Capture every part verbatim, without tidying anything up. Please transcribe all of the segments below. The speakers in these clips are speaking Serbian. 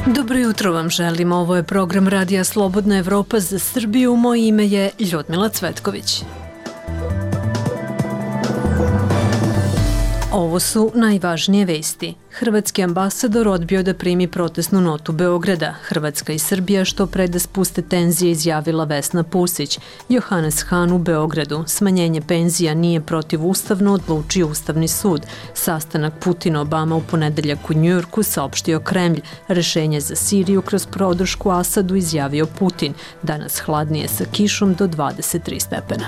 Dobro jutro vam želim, ovo je program Radija Slobodna Evropa za Srbiju, moje ime je Ljudmila Cvetković. Ovo su najvažnije vesti. Hrvatski ambasador odbio da primi protestnu notu Beograda. Hrvatska i Srbija što pre da spuste tenzije, izjavila Vesna Pusić. Johannes Hahn u Beogradu. Smanjenje penzija nije protivustavno, odlučio Ustavni sud. Sastanak Putin-Obama u ponedeljak u Njujorku, saopštio Kremlj. Rešenje za Siriju kroz podršku Asadu, izjavio Putin. Danas hladnije sa kišom do dvadeset tri stepena.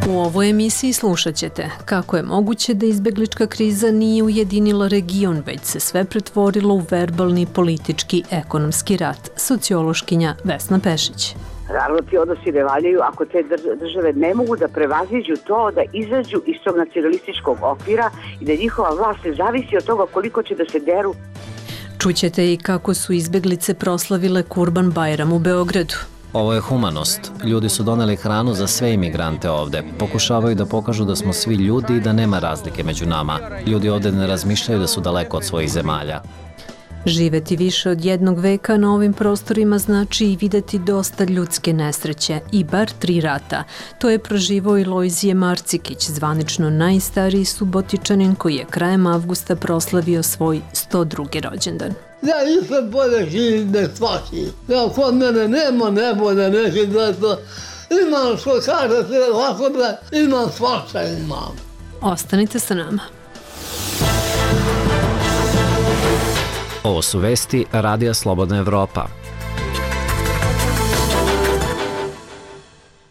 U ovoj emisiji slušat ćete kako je moguće da izbeglička kriza nije ujedinila region, već se sve pretvorilo u verbalni, politički, ekonomski rat. Sociološkinja Vesna Pešić. Naravno, ti odnosi ne valjaju ako te države ne mogu da prevaziđu to, da izađu iz tog nacionalističkog okvira i da njihova vlast ne zavisi od toga koliko će da se deru. Čućete i kako su izbeglice proslavile Kurban Bajram u Beogradu. Ovo je humanost. Ljudi su doneli hranu za sve imigrante ovde. Pokušavaju da pokažu da smo svi ljudi i da nema razlike među nama. Ljudi ovde ne razmišljaju da su daleko od svojih zemalja. Živeti više od jednog veka na ovim prostorima znači i videti dosta ljudske nesreće i bar tri rata. To je proživao i Lojzije Marcikić, zvanično najstariji Subotičanin koji je krajem avgusta proslavio svoj sto drugi rođendan. Ja nisam bolje živim da svaki. Ja kod mene nema nebolje neki da to. Imam što kaže se ovako da imam svašta imam. Ostanite sa nama. Ovo su vesti Radija Slobodna Evropa.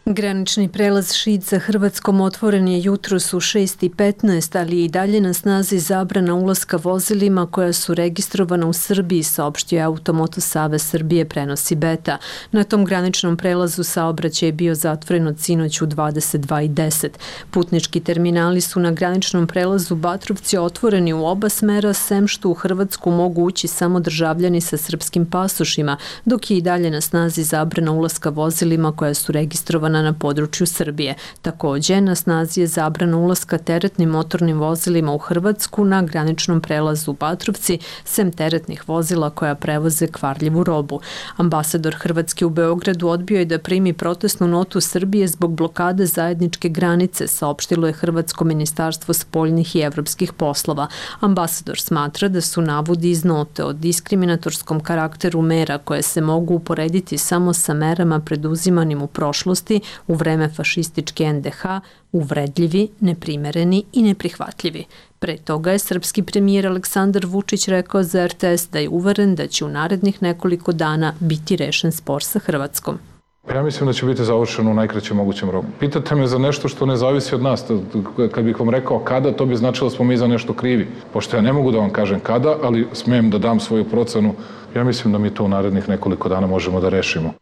Granični prelaz Šid sa Hrvatskom otvoren je jutros u šest i petnaest, ali je i dalje na snazi zabrana ulaska vozilima koja su registrovana u Srbiji, saopštio je Automoto Savez Srbije, prenosi Beta. Na tom graničnom prelazu saobraćaj je bio zatvoren od sinoć u dvadeset dva i deset. Putnički terminali su na graničnom prelazu Batrovci otvoreni u oba smera, sem što u Hrvatsku mogu ući samo državljani sa srpskim pasošima, dok je i dalje na snazi zabrana ulaska vozilima koja su registrovana na području Srbije. Također, na snazi je zabrana ulaska teretnim motornim vozilima u Hrvatsku na graničnom prelazu Batrovci, sem teretnih vozila koja prevoze kvarljivu robu. Ambasador Hrvatske u Beogradu odbio je da primi protestnu notu Srbije zbog blokade zajedničke granice, saopštilo je Hrvatsko ministarstvo spoljnih i evropskih poslova. Ambasador smatra da su navodi iz note o diskriminatorskom karakteru mera koje se mogu uporediti samo sa merama preduzimanim u prošlosti u vreme fašističke en de ha, uvredljivi, neprimereni i neprihvatljivi. Pre toga je srpski premijer Aleksandar Vučić rekao za er te es da je uveren da će u narednih nekoliko dana biti rešen spor sa Hrvatskom. Ja mislim da će biti završeno u najkraćem mogućem roku. Pitate me za nešto što ne zavisi od nas. Kad bih vam rekao kada, to bi značilo da smo mi za nešto krivi. Pošto ja ne mogu da vam kažem kada, ali smijem da dam svoju procenu. Ja mislim da mi to u narednih nekoliko dana možemo da rešimo.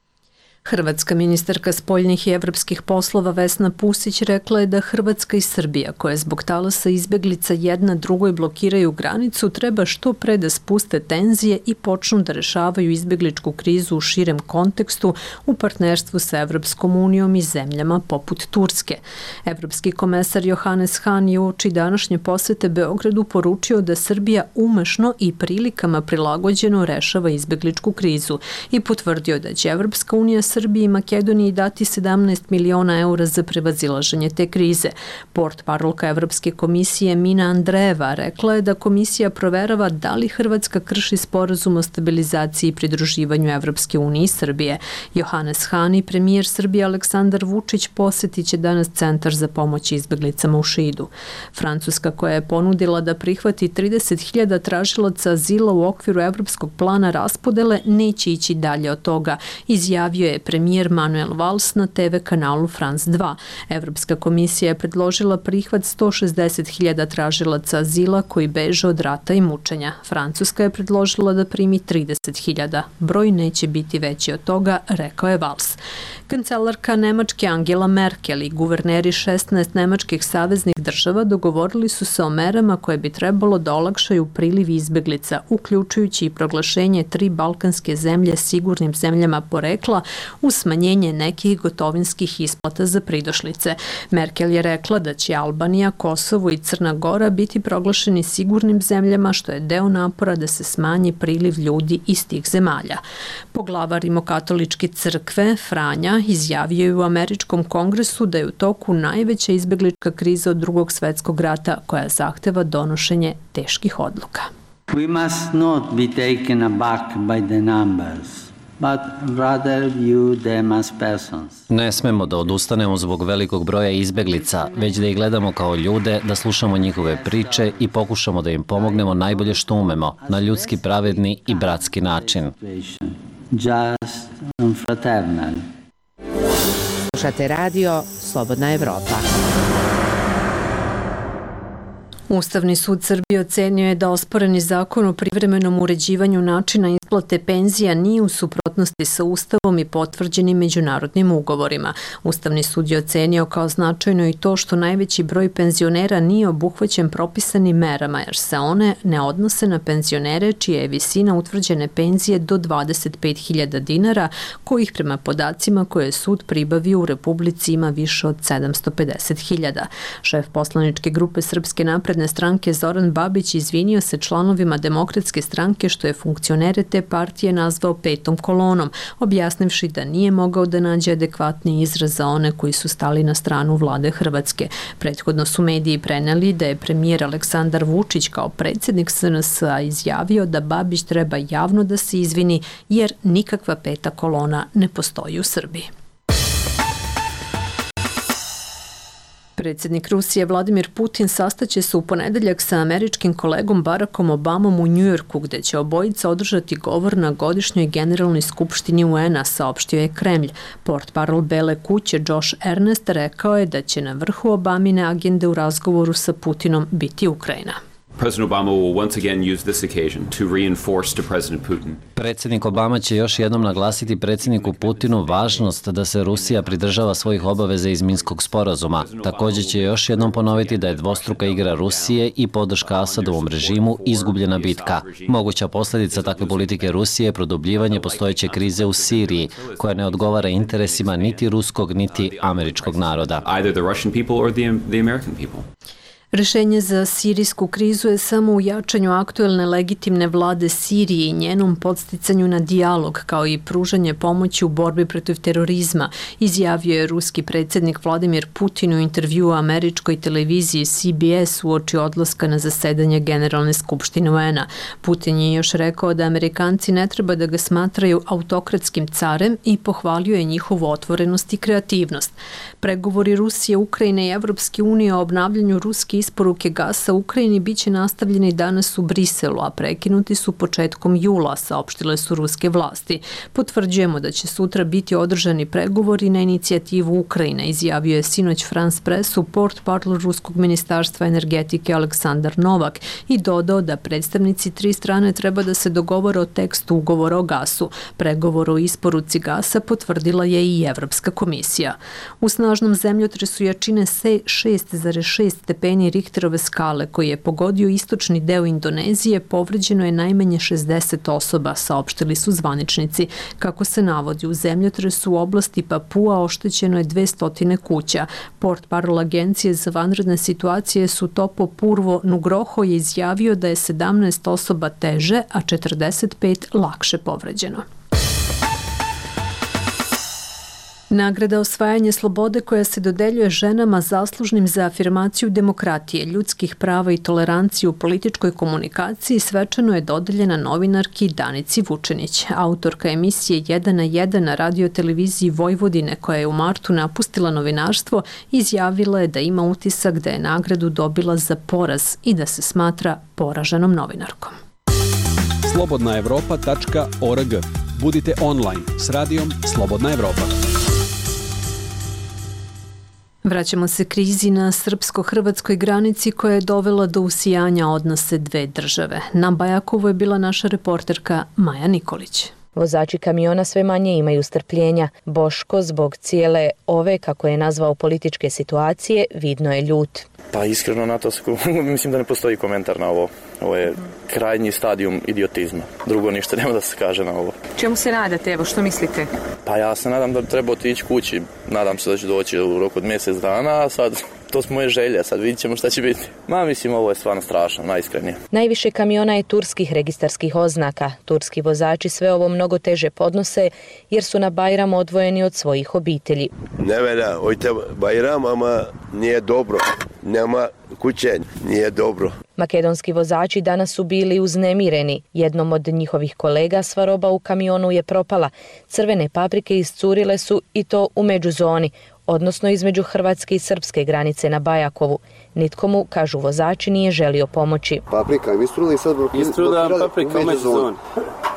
Hrvatska ministarka spoljnih i evropskih poslova Vesna Pusić rekla je da Hrvatska i Srbija, koje zbog talasa izbeglica jedna drugoj blokiraju granicu, treba što pre da spuste tenzije i počnu da rešavaju izbegličku krizu u širem kontekstu u partnerstvu sa Evropskom unijom i zemljama poput Turske. Evropski komesar Johannes Hahn je uoči današnje posete Beogradu poručio da Srbija umešno i prilikama prilagođeno rešava izbegličku krizu i potvrdio da će Evropska unija Srbiji i Makedoniji dati sedamnaest miliona eura za prevazilaženje te krize. Portparolka Evropske komisije Mina Andreeva rekla je da komisija proverava da li Hrvatska krši sporazum o stabilizaciji i pridruživanju Evropske unije i Srbije. Johannes Hahn i premijer Srbije Aleksandar Vučić posetit će danas Centar za pomoć izbeglicama u Šidu. Francuska, koja je ponudila da prihvati trideset hiljada tražilaca azila u okviru Evropskog plana raspodele, neće ići dalje od toga, izjavio je premijer Manuel Valls na te ve kanalu France dva. Evropska komisija je predložila prihvat sto šezdeset hiljada tražilaca azila koji beže od rata i mučenja. Francuska je predložila da primi trideset hiljada. Broj neće biti veći od toga, rekao je Valls. Kancelarka Nemačke Angela Merkel i guverneri šesnaest nemačkih saveznih država dogovorili su se o merama koje bi trebalo da olakšaju priliv izbeglica, uključujući i proglašenje tri balkanske zemlje sigurnim zemljama porekla uz smanjenje nekih gotovinskih isplata za pridošlice. Merkel je rekla da će Albanija, Kosovo i Crna Gora biti proglašeni sigurnim zemljama, što je deo napora da se smanji priliv ljudi iz tih zemalja. Poglavar Rimokatoličke crkve, Franja, izjavio je u Američkom kongresu da je u toku najveća izbeglička kriza od drugog svetskog rata koja zahteva donošenje teških odluka. We must not be taken aback by the numbers, but rather view them as persons. Ne smemo da odustanemo zbog velikog broja izbeglica, već da ih gledamo kao ljude, da slušamo njihove priče i pokušamo da im pomognemo najbolje što umemo, na ljudski, pravedni i bratski način. Just and fraternal. Slušate radio Slobodna Evropa. Ustavni sud Srbije ocenio je da osporeni zakon o privremenom uređivanju načina isplate penzija nije u suprotnosti sa Ustavom i potvrđenim međunarodnim ugovorima. Ustavni sud je ocenio kao značajno i to što najveći broj penzionera nije obuhvaćen propisanim merama, jer se one ne odnose na penzionere čija je visina utvrđene penzije do dvadeset pet hiljada dinara, kojih prema podacima koje je sud pribavio u Republici ima više od sedamsto pedeset hiljada. Šef poslaničke grupe Srpske napredne stranke Zoran Babić izvinio se članovima Demokratske stranke što je funkcionere te partije nazvao petom kolonom, objasnivši da nije mogao da nađe adekvatni izraz za one koji su stali na stranu vlade Hrvatske. Prethodno su mediji preneli da je premijer Aleksandar Vučić kao predsjednik S N S-a izjavio da Babić treba javno da se izvini jer nikakva peta kolona ne postoji u Srbiji. Predsjednik Rusije Vladimir Putin sastaće se u ponedeljak sa američkim kolegom Barackom Obamom u Njujorku, gde će obojica održati govor na godišnjoj generalnoj skupštini U N-a, saopštio je Kremlj. Portparol Bele kuće Josh Ernest rekao je da će na vrhu Obamine agende u razgovoru sa Putinom biti Ukrajina. President Obama will once again use this occasion to reinforce to President Putin. Predsjednik Obama će još jednom naglasiti predsjedniku Putinu važnost da se Rusija pridržava svojih obaveza iz Minskog sporazuma. Također će još jednom ponoviti da je dvostruka igra Rusije i podrška Asadovom režimu izgubljena bitka. Moguća posljedica takve politike Rusije je produbljivanje postojeće krize u Siriji, koja ne odgovara interesima niti ruskog niti američkog naroda. Either the Russian people or the, the American people. Rešenje za sirijsku krizu je samo u jačanju aktuelne legitimne vlade Sirije i njenom podsticanju na dijalog, kao i pružanje pomoći u borbi protiv terorizma, izjavio je ruski predsjednik Vladimir Putin u intervjuu u američkoj televiziji C B S uoči odlaska na zasedanje Generalne skupštine U N-a. Putin je još rekao da Amerikanci ne treba da ga smatraju autokratskim carem i pohvalio je njihovu otvorenost i kreativnost. Pregovori Rusije, Ukrajine i Evropske unije o obnavljanju ruske isporuke gasa Ukrajini biće nastavljeni danas u Briselu, a prekinuti su početkom jula, saopštile su ruske vlasti. Potvrđujemo da će sutra biti održani pregovori na inicijativu Ukrajine, izjavio je sinoć France Pressu portparol ruskog ministarstva energetike Aleksandar Novak i dodao da predstavnici tri strane treba da se dogovore o tekstu ugovora o gasu. Pregovor o isporuci gasa potvrdila je i Evropska komisija. U snažnom zemljotresu jačine šest zarez šest stepeni Richterove skale koji je pogodio istočni deo Indonezije, povređeno je najmanje šezdeset osoba, saopštili su zvaničnici. Kako se navodi, u zemljotresu u oblasti Papua oštećeno je dvesta kuća. Portparol Agencije za vanredne situacije Sutopo Purwo Nugroho je izjavio da je sedamnaest osoba teže, a četrdeset pet lakše povređeno. Nagrada osvajanje slobode koja se dodeljuje ženama zaslužnim za afirmaciju demokratije, ljudskih prava i toleranciju u političkoj komunikaciji svečano je dodeljena novinarki Danici Vučenić. Autorka emisije jedan na jedan na radioteleviziji Vojvodine, koja je u martu napustila novinarstvo, izjavila je da ima utisak da je nagradu dobila za poraz i da se smatra poraženom novinarkom. slobodna evropa tačka org Budite online s radijom Slobodna Evropa. Vraćamo se krizi na srpsko-hrvatskoj granici koja je dovela do usijanja odnose dve države. Na Bajakovu je bila naša reporterka Maja Nikolić. Vozači kamiona sve manje imaju strpljenja. Boško zbog cijele ove, kako je nazvao, političke situacije, vidno je ljut. Pa iskreno na to mislim da ne postoji komentar na ovo. Ovo je krajnji stadijum idiotizma. Drugo ništa nema da se kaže na ovo. Čemu se nadate, evo, što mislite? Pa ja se nadam da treba otići kući. Nadam se da će doći u roku od mjesec dana, a sad to su moje želje, sad vidit ćemo šta će biti. Ma mislim, ovo je stvarno strašno, najiskrenije. Najviše kamiona je turskih registarskih oznaka. Turski vozači sve ovo mnogo teže podnose jer su na Bajram odvojeni od svojih obitelji. Ne velja, ojte Bajram, ama nije dobro. Nema kuće, nije dobro. Makedonski vozači danas su bili uznemireni. Jednom od njihovih kolega sva roba u kamionu je propala. Crvene paprike iscurile su i to u međuzoni, odnosno između hrvatske i srpske granice na Bajakovu. Nitko mu, kažu vozači, nije želio pomoći. Paprika im istrula i sad... Istrula paprika u međuzoni.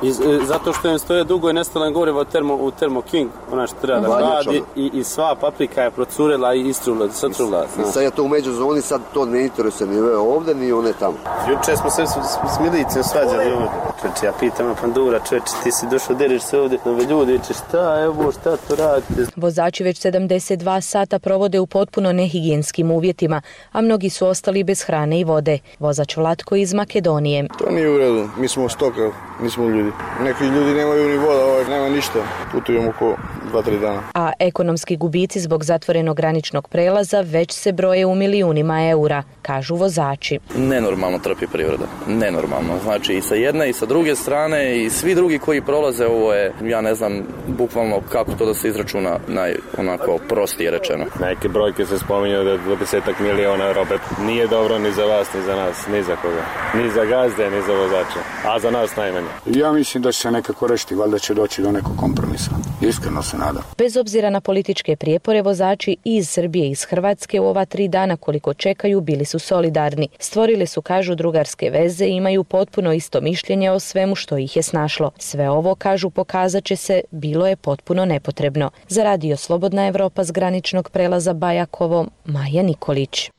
Iz, zato što im stoje dugo i nestalo gorivo u Termo, u Termo King, ona što treba da radi, i, i sva paprika je procurela i istrula, satrula. I sad je to u međuzoni, sad to ne interesuje ni ovdje, ni one tamo. Juče smo se s, s milicom svađali ovdje. Čeče, ja pitam na pandura, čeče, ti si došao, deriš se ovdje nove ljudi, i češ, šta, evo, šta to radite? Vozači već sedamdeset dva sata provode u potpuno nehigijenskim uvjetima, a mnogi su ostali bez hrane i vode. Vozač Vlatko iz Makedonije. To nije u redu, mi smo stoka, nismo ljudi. Neki ljudi nemaju ni voda, ovaj, nema ništa. Putujemo oko dva tri dana. A ekonomski gubici zbog zatvorenog graničnog prelaza već se broje u milijunima eura, kažu vozači. Nenormalno trpi privreda. Nenormalno. Znači i sa jedne i sa druge strane i svi drugi koji prolaze, ovo je, ja ne znam, bukvalno kako to da se izračuna, naj, onako prostije rečeno. Neke brojke se spominju da dvadesetak miliona eura, opet nije dobro ni za vas, ni za nas, ni za koga. Ni za gazde, ni za vozače, a za nas najmanje. Ja mislim da će se nekako rešiti, valjda će doći do nekog kompromisa. Iskreno se nadam. Bez obzira na političke prijepore, vozači iz Srbije i iz Hrvatske u ova tri dana koliko čekaju bili su solidarni. Stvorili su, kažu, drugarske veze i imaju potpuno isto mišljenje o svemu što ih je snašlo. Sve ovo, kažu, pokazat će se, bilo je potpuno nepotrebno. Za radio Slobodna Evropa s graničnog prelaza Bajakovo, Maja Nikolić.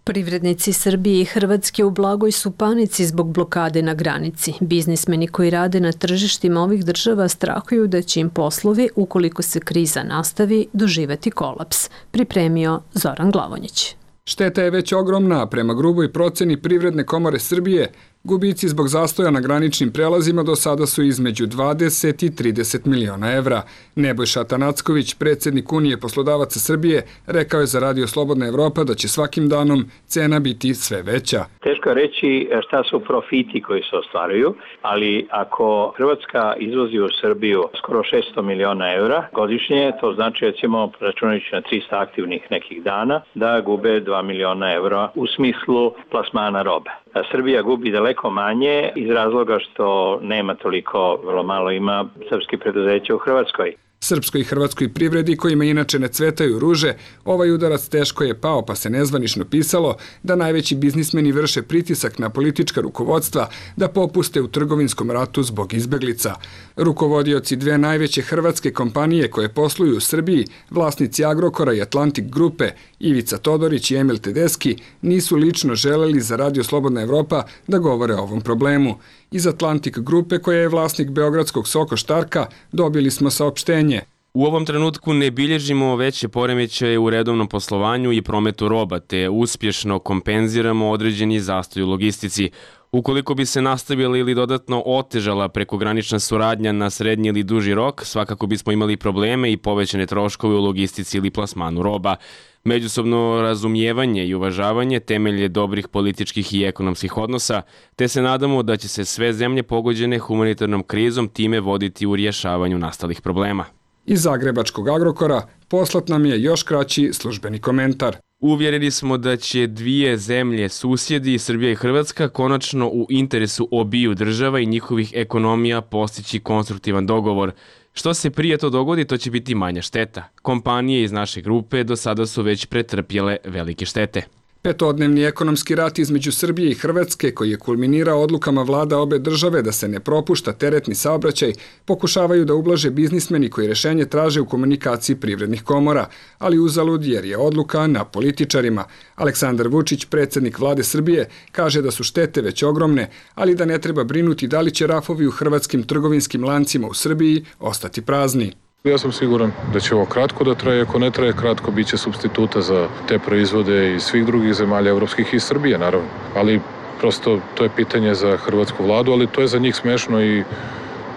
Privrednici Srbije i Hrvatske u blagoj su panici zbog blokade na granici. Biznismeni koji rade na tržištima ovih država strahuju da će im poslovi, ukoliko se kriza nastavi, doživeti kolaps. Pripremio Zoran Glavonjić. Šteta je već ogromna, prema gruboj proceni Privredne komore Srbije. Gubici zbog zastoja na graničnim prelazima do sada su između dvadeset i trideset miliona evra. Nebojša Tanacković, predsjednik Unije poslodavaca Srbije, rekao je za radio Slobodna Evropa da će svakim danom cena biti sve veća. Teško je reći šta su profiti koji se ostvaruju, ali ako Hrvatska izvozi u Srbiju skoro šesto miliona evra godišnje, to znači, recimo, računajući na trista aktivnih nekih dana, da gube dva miliona evra u smislu plasmana robe. Srbija gubi daleko manje iz razloga što nema toliko, vrlo malo ima srpskih preduzeća u Hrvatskoj. Srpskoj i hrvatskoj privredi, kojima inače ne cvetaju ruže, ovaj udarac teško je pao, pa se nezvanično pisalo da najveći biznismeni vrše pritisak na politička rukovodstva da popuste u trgovinskom ratu zbog izbeglica. Rukovodioci dve najveće hrvatske kompanije koje posluju u Srbiji, vlasnici Agrokora i Atlantik grupe, Ivica Todorić i Emil Tedeski, nisu lično želeli za radio Slobodna Evropa da govore o ovom problemu. Iz Atlantik grupe, koja je vlasnik beogradskog Soko Štarka, dobili smo saopštenje. U ovom trenutku ne bilježimo veće poremećaje u redovnom poslovanju i prometu roba, te uspješno kompenziramo određeni zastoj u logistici. Ukoliko bi se nastavila ili dodatno otežala prekogranična suradnja na srednji ili duži rok, svakako bismo imali probleme i povećane troškove u logistici ili plasmanu roba. Međusobno razumijevanje i uvažavanje temelj je dobrih političkih i ekonomskih odnosa, te se nadamo da će se sve zemlje pogođene humanitarnom krizom time voditi u rješavanju nastalih problema. Iz zagrebačkog Agrokora poslat nam je još kraći službeni komentar. Uvjereni smo da će dvije zemlje, susjedi, Srbija i Hrvatska, konačno u interesu obiju država i njihovih ekonomija postići konstruktivan dogovor. Što se prije to dogodi, to će biti manja šteta. Kompanije iz naše grupe do sada su već pretrpjele velike štete. Petodnevni ekonomski rat između Srbije i Hrvatske, koji je kulminirao odlukama vlada obe države da se ne propušta teretni saobraćaj, pokušavaju da ublaže biznismeni koji rešenje traže u komunikaciji privrednih komora, ali uzalud jer je odluka na političarima. Aleksandar Vučić, predsjednik vlade Srbije, kaže da su štete već ogromne, ali da ne treba brinuti da li će rafovi u hrvatskim trgovinskim lancima u Srbiji ostati prazni. Ja sam siguran da će ovo kratko da traje, ako ne traje kratko, bit će substituta za te proizvode iz svih drugih zemalja evropskih i Srbije, naravno. Ali prosto to je pitanje za hrvatsku vladu, ali to je za njih smešno i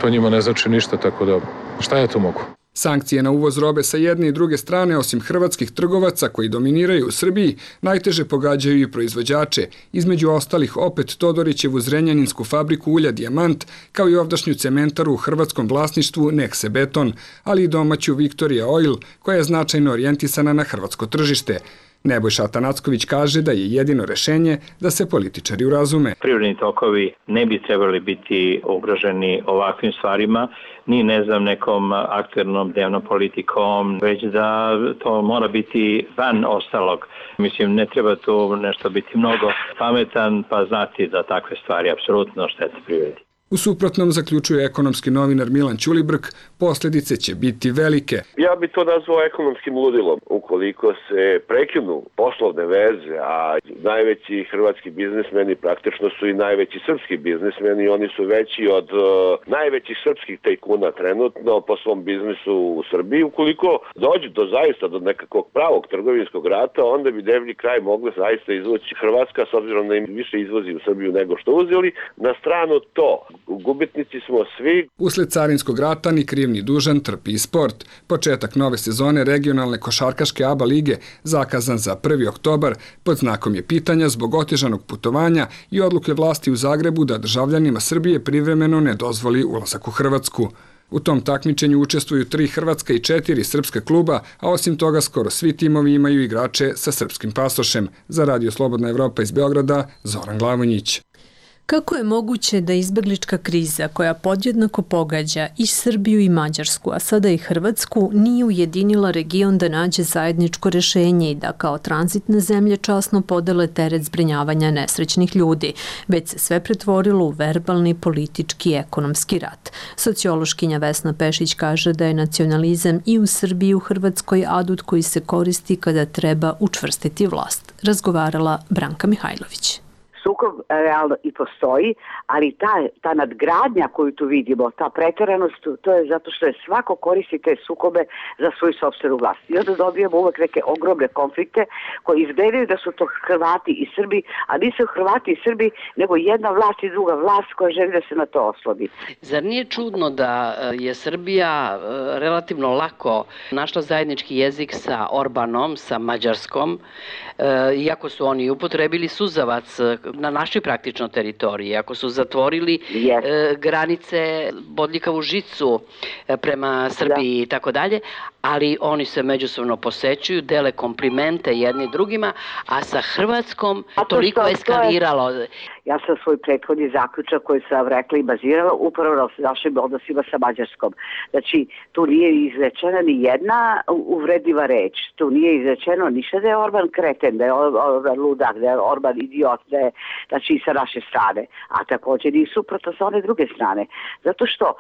to njima ne znači ništa, tako da šta ja to mogu? Sankcije na uvoz robe sa jedne i druge strane, osim hrvatskih trgovaca koji dominiraju u Srbiji, najteže pogađaju i proizvođače, između ostalih opet Todorićevu zrenjaninsku fabriku ulja Dijamant, kao i ovdašnju cementaru u hrvatskom vlasništvu Nekse Beton, ali i domaću Victoria Oil, koja je značajno orijentisana na hrvatsko tržište. Nebojša Atanacković kaže da je jedino rešenje da se političari urazume. Privredni tokovi ne bi trebali biti ugroženi ovakvim stvarima, ni ne znam nekom aktuelnom dnevnom politikom, već da to mora biti van ostalog. Mislim, ne treba tu nešto biti mnogo pametan pa znati da takve stvari apsolutno štete privredi. U suprotnom, zaključuje ekonomski novinar Milan Ćulibrk, posljedice će biti velike. Ja bi to nazvao ekonomskim ludilom. Ukoliko se prekinu poslovne veze, a najveći hrvatski biznismeni praktično su i najveći srpski biznismeni, oni su veći od uh, najvećih srpskih tajkuna trenutno po svom biznisu u Srbiji. Ukoliko dođe do zaista do nekakvog pravog trgovinskog rata, onda bi deblji kraj mogla zaista izvući Hrvatska, s obzirom da im više izvozi u Srbiju nego što uzeli. Na stranu to. Gubitnici smo svi. Usled carinskog rata ni kriv ni dužan trpi i sport. Početak nove sezone regionalne košarkaške A B A lige zakazan za prvi oktobar pod znakom je pitanja zbog otežanog putovanja i odluke vlasti u Zagrebu da državljanima Srbije privremeno ne dozvoli ulazak u Hrvatsku. U tom takmičenju učestvuju tri hrvatska i četiri srpska kluba, a osim toga skoro svi timovi imaju igrače sa srpskim pasošem. Za Radio Slobodna Evropa iz Beograda, Zoran Glavonjić. Kako je moguće da izbeglička kriza koja podjednako pogađa i Srbiju i Mađarsku, a sada i Hrvatsku, nije ujedinila region da nađe zajedničko rešenje i da kao tranzitne zemlje časno podele teret zbrinjavanja nesrećnih ljudi, već se sve pretvorilo u verbalni, politički i ekonomski rat. Sociološkinja Vesna Pešić kaže da je nacionalizam i u Srbiji i u Hrvatskoj adut koji se koristi kada treba učvrstiti vlast. Razgovarala Branka Mihajlović. Sukob realno i postoji, ali ta, ta nadgradnja koju tu vidimo, ta pretjeranost, to je zato što je svako koristi te sukobe za svoju sopstvenu vlast. I onda dobijemo uvek neke ogromne konflikte koji izgledaju da su to Hrvati i Srbi, a nisu Hrvati i Srbi, nego jedna vlast i druga vlast koja želi da se na to oslodi. Zar nije čudno da je Srbija relativno lako našla zajednički jezik sa Orbanom, sa Mađarskom, iako su oni upotrebili suzavac na našoj praktično teritoriji, ako su zatvorili yes. e, granice, bodljikavu žicu e, prema Srbiji i tako dalje, ali oni se međusobno posećuju, dele komplimente jedni drugima, a sa Hrvatskom toliko što, eskaliralo. Je, ja sam svoj prethodni zaključak koji sam rekla i bazirala upravo na našim odnosima sa Mađarskom. Znači, tu nije izrečena ni jedna uvrediva reč. Tu nije izrečeno ništa da je Orban kreten, da je Orban ludak, da je Orban idiot, da je znači i sa naše strane, a također i suprotno sa one druge strane. Zato što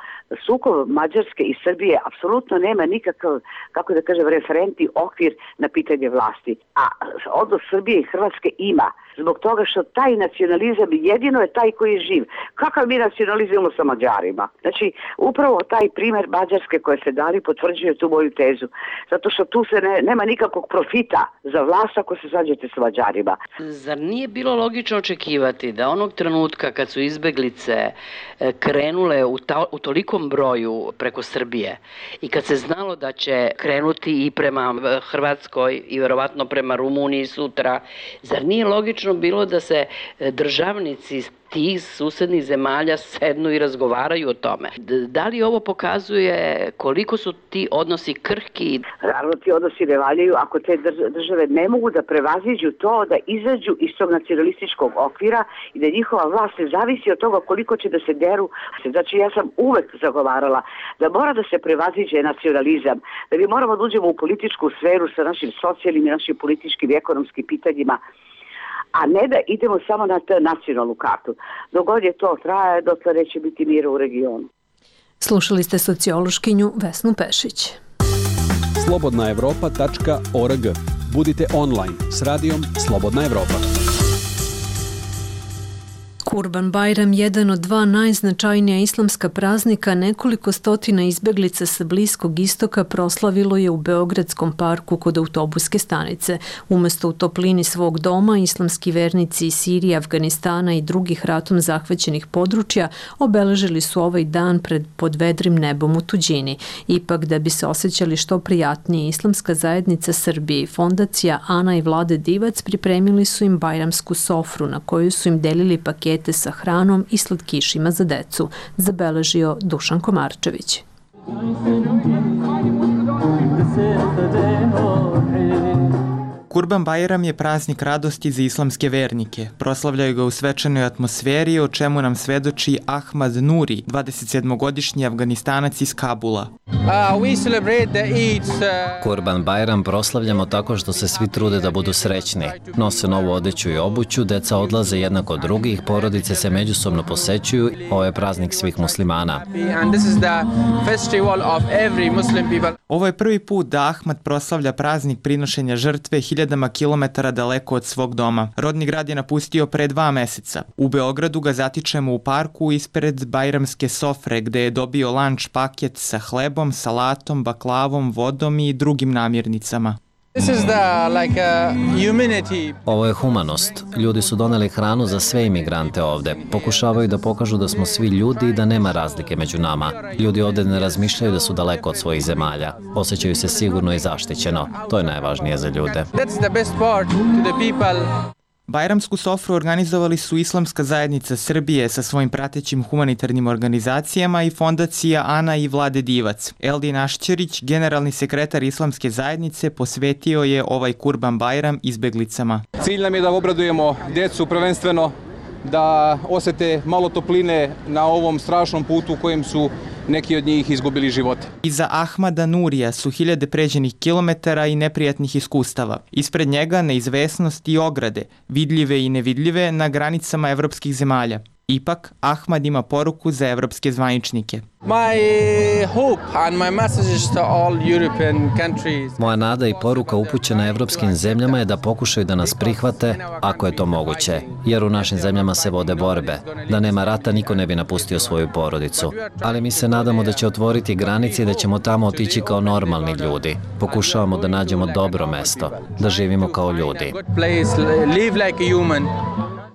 sukob Mađarske i Srbije apsolutno nema nikakav, kako da kažem, referentni okvir na pitanje vlasti. A odnos Srbije i Hrvatske ima, zbog toga što taj nacionalizam jedino je taj koji je živ. Kakav mi nacionalizujemo sa Mađarima? Znači, upravo taj primjer Mađarske koje se dali potvrđuje tu moju tezu. Zato što tu se ne, nema nikakvog profita za vlast ako se sađete sa Mađarima. Zar nije bilo logično očekivati da onog trenutka kad su izbeglice krenule u, ta, u tolikom broju preko Srbije i kad se znalo da će krenuti i prema Hrvatskoj i verovatno prema Rumuniji sutra, zar nije logično bilo da se državnici tih susednih zemalja sednu i razgovaraju o tome? Da li ovo pokazuje koliko su ti odnosi krhki? Naravno, ti odnosi ne valjaju ako te države ne mogu da prevaziđu to, da izađu iz tog nacionalističkog okvira i da njihova vlast ne zavisi od toga koliko će da se deru. Znači, ja sam uvek zagovarala da mora da se prevaziđe nacionalizam, da mi moramo da uđemo u političku sferu sa našim socijalnim i našim političkim i ekonomskim pitanjima. a ne da idemo samo na t- nacionalnu kartu. Dok god je to traje, dotle neće biti mira u regionu. Slušali ste sociološkinju Vesnu Pešić. slobodna evropa tačka org. Budite online s radijom Slobodna Evropa. Kurban Bajram, jedan od dva najznačajnija islamska praznika, nekoliko stotina izbeglica sa Bliskog istoka proslavilo je u Beogradskom parku kod autobuske stanice. Umesto u toplini svog doma, islamski vernici iz Sirije, Afganistana i drugih ratom zahvaćenih područja obeležili su ovaj dan pred pod vedrim nebom u tuđini. Ipak, da bi se osjećali što prijatnije, Islamska zajednica Srbije i fondacija Ana i Vlade Divac pripremili su im bajramsku sofru na kojoj su im delili pakete sa hranom i slatkišima za decu, zabeležio Dušan Komarčević. Kurban Bajram je praznik radosti za islamske vernike. Proslavljaju ga u svečanoj atmosferi, o čemu nam svedoči Ahmad Nuri, dvadesetsedmogodišnji Afganistanac iz Kabula. Kurban Bajram proslavljamo tako što se svi trude da budu srećni. Nose novu odeću i obuću, deca odlaze jednako od drugih, porodice se međusobno posećuju. Ovo je praznik svih muslimana. Ovo je prvi put da Ahmad proslavlja praznik prinošenja žrtve hiljadama kilometara daleko od svog doma. Rodni grad je napustio pre dva meseca. U Beogradu ga zatičemo u parku ispred bajramske sofre, gde je dobio lanč paket sa hlebom, salatom, baklavom, vodom i drugim namirnicama. Ovo je humanost. Ljudi su doneli hranu za sve imigrante ovde. Pokušavaju da pokažu da smo svi ljudi i da nema razlike među nama. Ljudi ovde ne razmišljaju da su daleko od svojih zemalja. Osjećaju se sigurno i zaštićeno. To je najvažnije za ljude. Bajramsku sofru organizovali su Islamska zajednica Srbije sa svojim pratećim humanitarnim organizacijama i fondacija Ana i Vlade Divac. Eldin Ašćerić, generalni sekretar Islamske zajednice, posvetio je ovaj Kurban Bajram izbeglicama. Cilj nam je da obradujemo decu prvenstveno, da osete malo topline na ovom strašnom putu u kojem su neki od njih izgubili živote. Iza Ahmada Nurija su hiljade pređenih kilometara i neprijatnih iskustava. Ispred njega neizvesnost i ograde, vidljive i nevidljive na granicama evropskih zemalja. Ipak, Ahmad ima poruku za evropske zvaničnike. Moja nada i poruka upućena evropskim zemljama je da pokušaju da nas prihvate, ako je to moguće, jer u našim zemljama se vode borbe. Da nema rata, niko ne bi napustio svoju porodicu. Ali mi se nadamo da će otvoriti granice i da ćemo tamo otići kao normalni ljudi. Pokušavamo da nađemo dobro mesto, da živimo kao ljudi.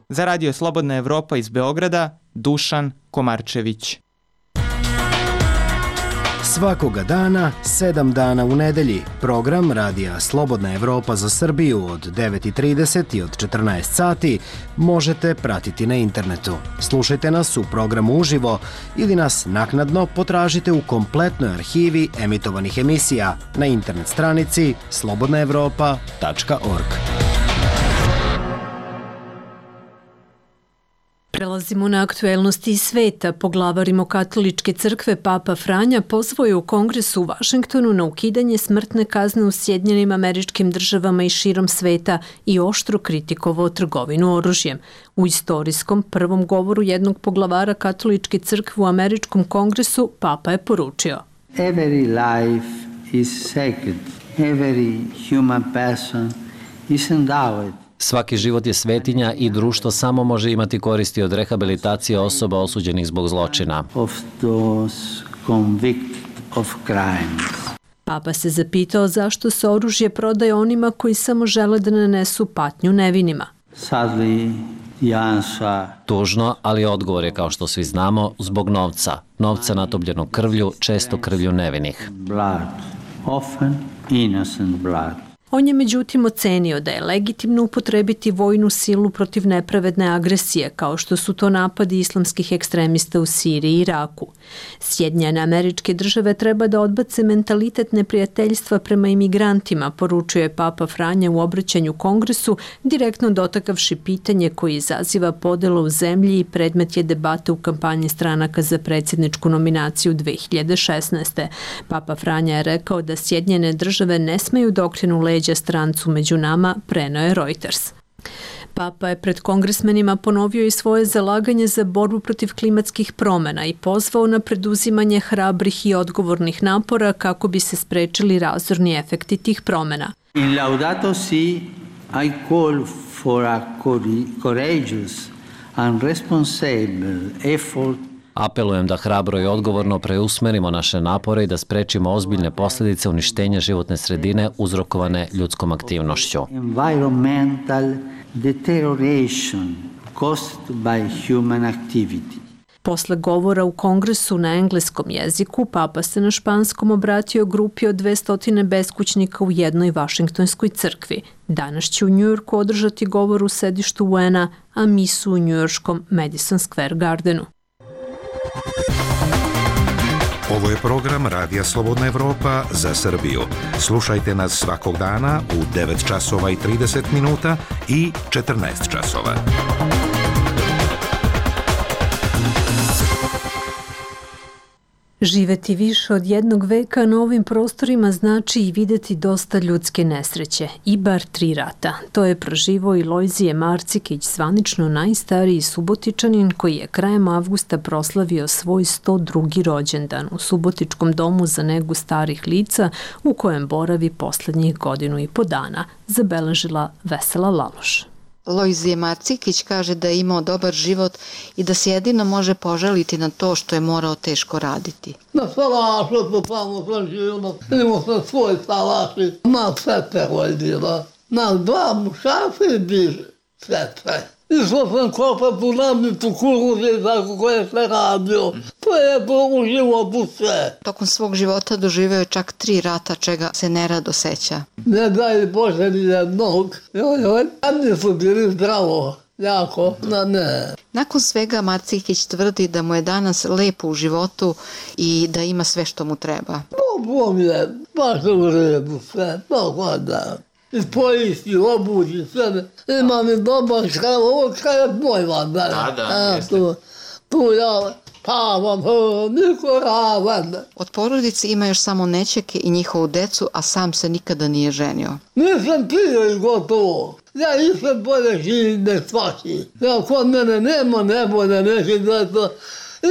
Za Radio Slobodna Evropa iz Beograda, Dušan Komarčević. Svakoga dana, sedam dana u nedelji, program Radija Slobodna Evropa za Srbiju od devet i trideset i od četrnaest sati možete pratiti na internetu. Slušajte nas u programu uživo ili nas naknadno potražite u kompletnoj arhivi emitovanih emisija na internet stranici slobodna evropa tačka org. Prelazimo na aktuelnosti iz sveta. Poglavar Rimokatoličke crkve Papa Franja pozvao je u Kongresu u Vašingtonu na ukidanje smrtne kazne u Sjedinjenim Američkim Državama i širom sveta i oštro kritikovao trgovinu oružjem. U istorijskom prvom govoru jednog poglavara Katoličke crkve u Američkom kongresu Papa je poručio: Every life is sacred. Every human person is endowed. Svaki život je svetinja i društvo samo može imati koristi od rehabilitacije osoba osuđenih zbog zločina. Of those convicted of crimes. Papa se zapitao zašto se oružje prodaje onima koji samo žele da nanesu patnju nevinima. Sadly, the answer... Tužno, ali odgovor je, kao što svi znamo, zbog novca. Novca natopljenog krvlju, često krvlju nevinih. Blood, often innocent blood. On je međutim ocenio da je legitimno upotrebiti vojnu silu protiv nepravedne agresije, kao što su to napadi islamskih ekstremista u Siriji i Iraku. Sjedinjene Američke Države treba da odbace mentalitet neprijateljstva prema imigrantima, poručuje Papa Franja u obraćanju Kongresu, direktno dotakavši pitanje koji izaziva podela u zemlji i predmet je debate u kampanji stranaka za predsjedničku nominaciju dve hiljade šesnaeste. Papa Franja je rekao da Sjedinjene Države ne smeju da okrenu leđa strancu među nama, preneo je Reuters. Papa je pred kongresmenima ponovio i svoje zalaganje za borbu protiv klimatskih promjena i pozvao na preduzimanje hrabrih i odgovornih napora kako bi se sprečili razorni efekti tih promjena. In Laudato Si, I call for a courageous and responsible effort. Apelujem da hrabro i odgovorno preusmerimo naše napore i da sprečimo ozbiljne posljedice uništenja životne sredine uzrokovane ljudskom aktivnošću. Environmental deterioration caused by human activity. Posle govora u kongresu na engleskom jeziku, Papa se na španskom obratio grupi od dvesta beskućnika u jednoj vašingtonskoj crkvi. Danas će u Njujorku održati govor u sedištu U N-a, a misu u njujorškom Madison Square Gardenu. Ovo je program Radija Slobodna Evropa za Srbiju. Slušajte nas svakog dana u devet časova i trideset minuta i četrnaest časova. Živeti više od jednog veka na ovim prostorima znači i videti dosta ljudske nesreće, i bar tri rata. To je proživao i Lojzije Marcikić, zvanično najstariji Subotičanin koji je krajem avgusta proslavio svoj sto drugi rođendan u Subotičkom domu za negu starih lica u kojem boravi poslednjih godinu i po dana, zabeležila Vesela Laloš. Lojzije Marcikić kaže da je imao dobar život i da se jedino može požaliti na to što je morao teško raditi. Na salašu su tamo preživjela, imao sam svoj salaši, na sete vojdila, na dva mušaci bi sete. Išao sam kopati u namnicu kuruze tako koje se radio. To je to u životu sve. Tokom svog života doživeo je čak tri rata, čega se nerado seća. Ne daj Bože ni jednog. Joj, joj, oni su bili zdravo. Jako, na ne. Nakon svega Marcikić tvrdi da mu je danas lepo u životu i da ima sve što mu treba. Dobro mi je, baš u redu sve, tako da. I poisti, obući, sve. Imam i dobar škala, ovo škala je moj van. Da, da, jeste. Tu, tu ja spavam, niko ravan. Od porodice ima još samo nećake i njihovu decu, a sam se nikada nije ženio. Nisam pio i gotovo. Ja nisam bolje živim ne svaši. Ja kod mene nema nebole, neće da to...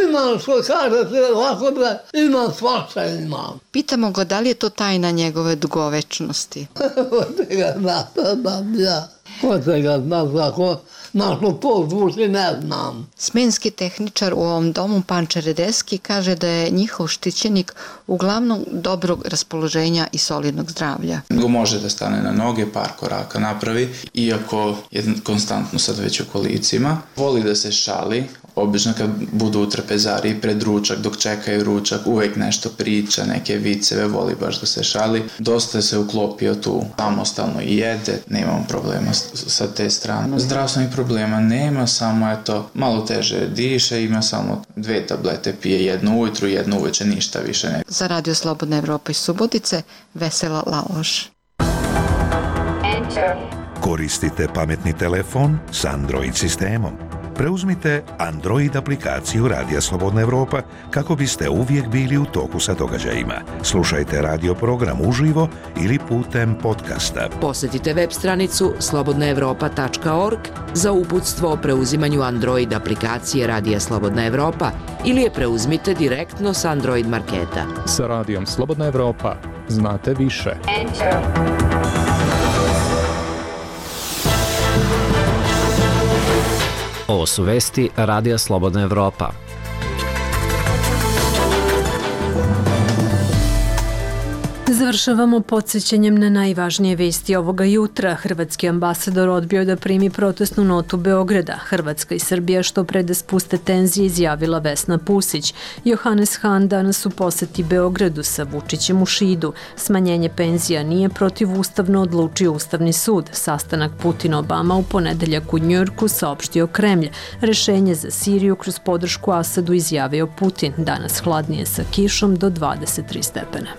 Imam što kaže se ovako da imam svašta imam. Pitamo ga da li je to tajna njegove dugovečnosti. Ko te ga zna, znam ja. Ko te ga zna, kako našo to zvuči, ne znam. Smenski tehničar u ovom domu, Panča Redeski, kaže da je njihov štićenik uglavnom dobrog raspoloženja i solidnog zdravlja. Može da stane na noge, par koraka napravi, iako je konstantno sad već u kolicima. Voli da se šali, obično kad budu u trpezariji pred ručak, dok čekaju ručak, uvek nešto priča, neke viceve, voli baš da se šali. Dosta se uklopio tu, samostalno i jede, nemamo problema sa te strane. Zdravstvenih problema nema, samo je to malo teže diše, ima samo dve tablete, pije jednu ujutru, jednu uveče, ništa više ne. Za Radio Slobodna Evropa iz Subotice, Vesela Laloš. Koristite pametni telefon s Android sistemom. Preuzmite Android aplikaciju Radija Slobodna Evropa kako biste uvijek bili u toku sa događajima. Slušajte radio program uživo ili putem podcasta. Posjetite web stranicu slobodna evropa tačka org za uputstvo o preuzimanju Android aplikacije Radija Slobodna Evropa ili je preuzmite direktno s Android marketa. Sa Radijom Slobodna Evropa znate više. Enter. Ovo su vesti Radija Slobodna Evropa. Završavamo podsjećanjem na najvažnije vesti ovoga jutra. Hrvatski ambasador odbio da primi protestnu notu Beograda. Hrvatska i Srbija što pre da spuste tenzije, izjavila Vesna Pusić. Johannes Hahn danas u poseti Beogradu sa Vučićem u Šidu. Smanjenje penzija nije protivustavno, odlučio Ustavni sud. Sastanak Putin-Obama u ponedeljak u Njujorku, saopštio Kremlj. Rešenje za Siriju kroz podršku Asadu izjavio Putin. Danas hladnije sa kišom do dvadeset tri stepena.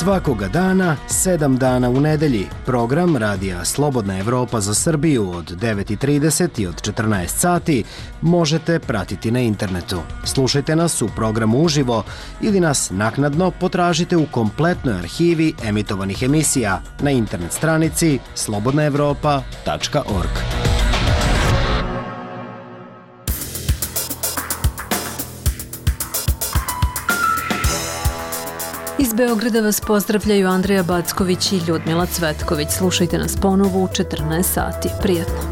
Svakoga dana, sedam dana u nedelji, program Radija Slobodna Evropa za Srbiju od devet i trideset i od četrnaest sati možete pratiti na internetu. Slušajte nas u programu uživo ili nas naknadno potražite u kompletnoj arhivi emitovanih emisija na internet stranici slobodna evropa tačka org. Iz Beograda vas pozdravljaju Andreja Backović i Ljudmila Cvetković. Slušajte nas ponovo u četrnaest sati. Prijetno!